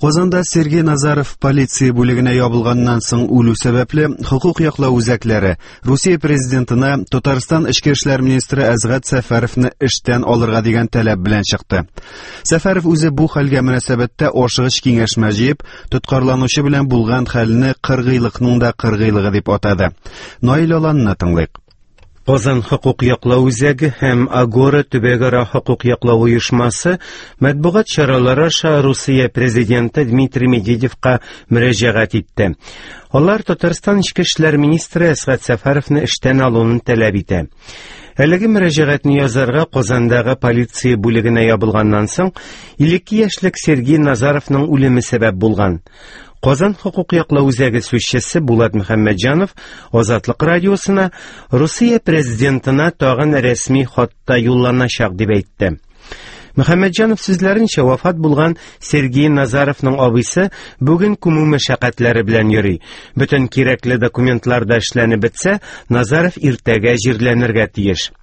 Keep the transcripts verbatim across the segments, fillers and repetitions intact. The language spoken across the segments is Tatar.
Казанда Сергей Назаров полиция бүлегенә ябылганнан соң үлү сәбәпле, хокук яклау үзәкләре Русия президентына Татарстан эчке эшләр министры Әсгать Сәфәровны эштән алырга дигән таләп белән чыкты. Сәфәров үзе бу хәлгә мөнәсәбәттә ашыгыч киңәшмә җыеп, тоткарланучы белән булган хәлне кыргыйлыкның да кыргыйлыгы дип атады. Наил Аланны тыңлыйк. Казан хокук яклау үзәге һәм Агора төбәкара хокук яклау оешмасы матбугат чаралары аша Русия президенты Дмитрий Медведевка мөрәҗәгать итте. Алар Татарстан эчке эшләр министры Әсгать Сәфәровны эштән алуын таләп итә. Әлеге мөрәҗәгатьне язарга Казандагы полиция бүлегенә ябылганнан соң илле ике яшьлек Сергей Назаровның үлеме сәбәп булган. Казан хокук яклау үзәге сүзчесе Булат Мөхәммәтҗанов Азатлык радиосына Русия президентына тагын рәсми хатта юлланачак дип әйтте. Мөхәммәтҗанов сүзләренчә, вафат булган Сергей Назаровның абыйсы бүген күмү мәшәкатьләре белән йөри. Бөтен кирәкле документлар да эшләнеп бетсә, Назаров иртәгә җирләнергә тиеш.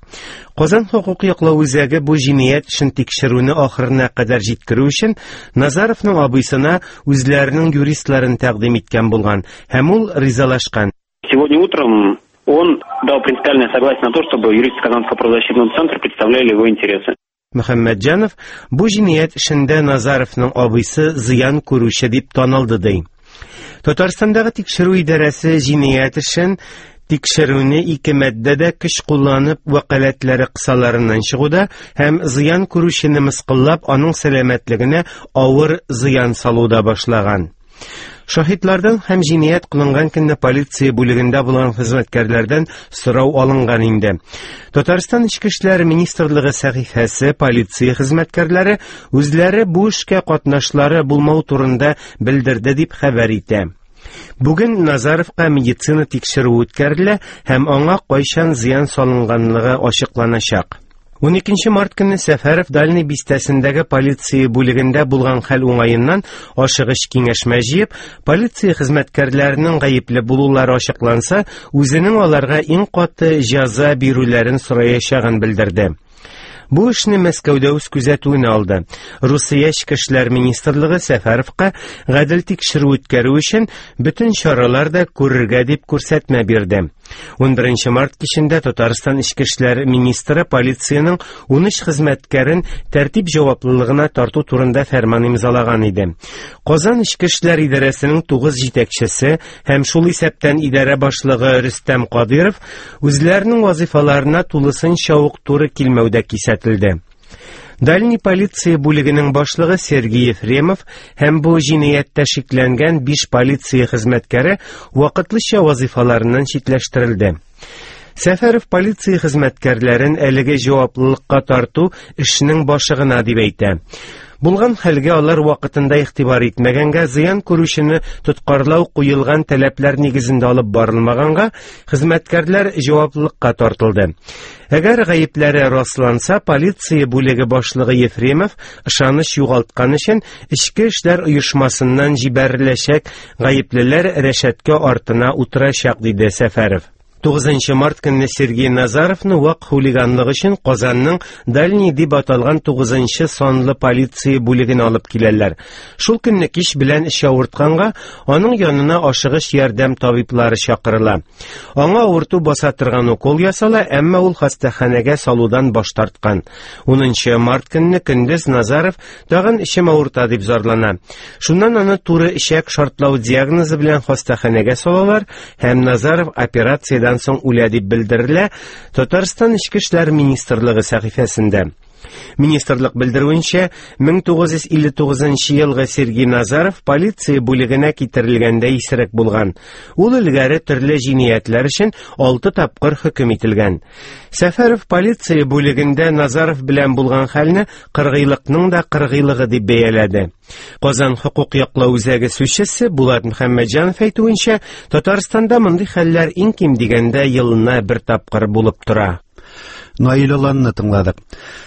Казан хокук яклау үзәге бу җинаять эшен тикшерүне ахырына кадәр җиткерү өчен Назаровның абыйсына үзләренең юристларын тәкъдим иткән булган һәм ул ризалашкан. Сегодня утром он дал принципиальное согласие на то, чтобы юристы Казанского правозащитного центра представляли его интересы. Мөхәммәтҗанов бу җинаять эшендә Назаровның абыйсы зыян күрүче дип танылды ди. Татарстандагы тикшерү идарәсе җинаять эшен тикшерүне ике маддәдә көч кулланып вәкаләтләре кысаларыннан чыгуда һәм зыян күрүчене мыскыллап аның сәламәтлегенә авыр зыян салуда башлаган. Шаһитлардан һәм җинаять кылынган көнне полиция бүлегендә булган хезмәткәрләрдән сорау алынган инде. Татарстан Эчке эшләр министрлыгы сәхифәсе полиция хезмәткәрләре үзләре бу эшкә катнашлары булмау турында белдерде дип хәбәр итә. Бүген Назаровка медицина тикшерүе үткәрелә һәм аңа кайчан зыян салынганлыгы ачыкланачак. ун икенче март көнне Сәфәров Дальний бистәсендәге полиция бүлегендә булган хәл уңаеннан ашыгыч киңәшмә җыеп, полиция хезмәткәрләренең гаепле булулары ачыкланса, үзенең аларга иң каты җәза бирүләрен сораячагын белдерде. Бу эшне Мәскәүдә үз күзәтүенә алды. Русия Эчке эшләр министрлыгы Сәфәровка гадел тикшерү үткәрү өчен бөтен чаралар да күрергә дип күрсәтмә бирде. ун беренче март кичендә Татарстан Эчке эшләр министры полициянең ун өч хезмәткәрен тәртип җаваплылыгына тарту турында фәрман имзалаган иде. Казан Эчке эшләр идарәсенең тугыз җитәкчесе һәм шул исәптән идарә башлыгы Рөстәм Кадыров үзләренең вазифаларына тулысынча ук туры килмәүдә кисәтелде. Дальний полиция бүлегенең башлыгы Сергей Ефремов һәм бу җинаятьтә шикләнгән биш полиция хезмәткәре вакытлыча вазифаларыннан читләштерелде. Сәфәров полиция хезмәткәрләрен әлеге җаваплылыкка тарту эшнең башы гына дип әйтә. Булган хәлгә алар вакытында игътибар итмәгәнгә, зыян күрүчене тоткарлау куелган таләпләр нигезендә алып барылмаганга, хезмәткәрләр җаваплылыкка тартылды. Әгәр гаепләре расланса, полиция бүлеге башлыгы Ефремов ышаныч югалткан өчен эчке эшләр оешмасыннан җибәреләчәк, гаеплеләр рәшәткә артына утырачак, диде Сәфәров. Тугызынчы март көнне Сергей Назаровны вак хулиганлык өчен Казанның Дальний дип аталган тугызынчы санлы полиция бүлегенә алып киләләр. Шул көнне кич белән эш авыртканга аның янына ашыгыч ярдәм табиблары чакырыла. Аңа авырту баса торган укол ясала, әмма ул хастаханәгә салудан баш тарткан. Унынчы март көнне көндез Назаров тагын эчем авырта дип зарлана. Шуннан аны туры эчәк шартлау диагнозы белән хастаханәгә салалар һәм Назаров операциядән соң үлә дип белдерелә Татарстан Эчке эшләр министрлыгы сәхифәсендә. Министрлык белдерүенчә, мең тугыз йөз илле тугызынчы елгы Сергей Назаров полиция бүлегенә китерелгәндә исерек булган. Ул элгәре төрле җинаятьләр өчен алты тапкыр хөкем ителгән. Сәфәров полиция бүлегендә Назаров белән булган хәлне кыргыйлыкның да кыргыйлыгы дип бәяләде. Казан хокук яклау үзәге сүзчесе Булат Мөхәммәтҗанов әйтүенчә, Татарстанда мондый хәлләр иң ким дигәндә елына бер тапкыр булып тора. Наил Аланны тыңладык.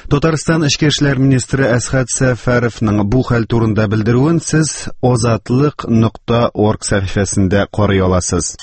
Татарстан Эчке эшләр министры Әсгать Сәфәровның бу хәл турында белдерүен сез озатлык нокта орг сәхифәсендә карый аласыз.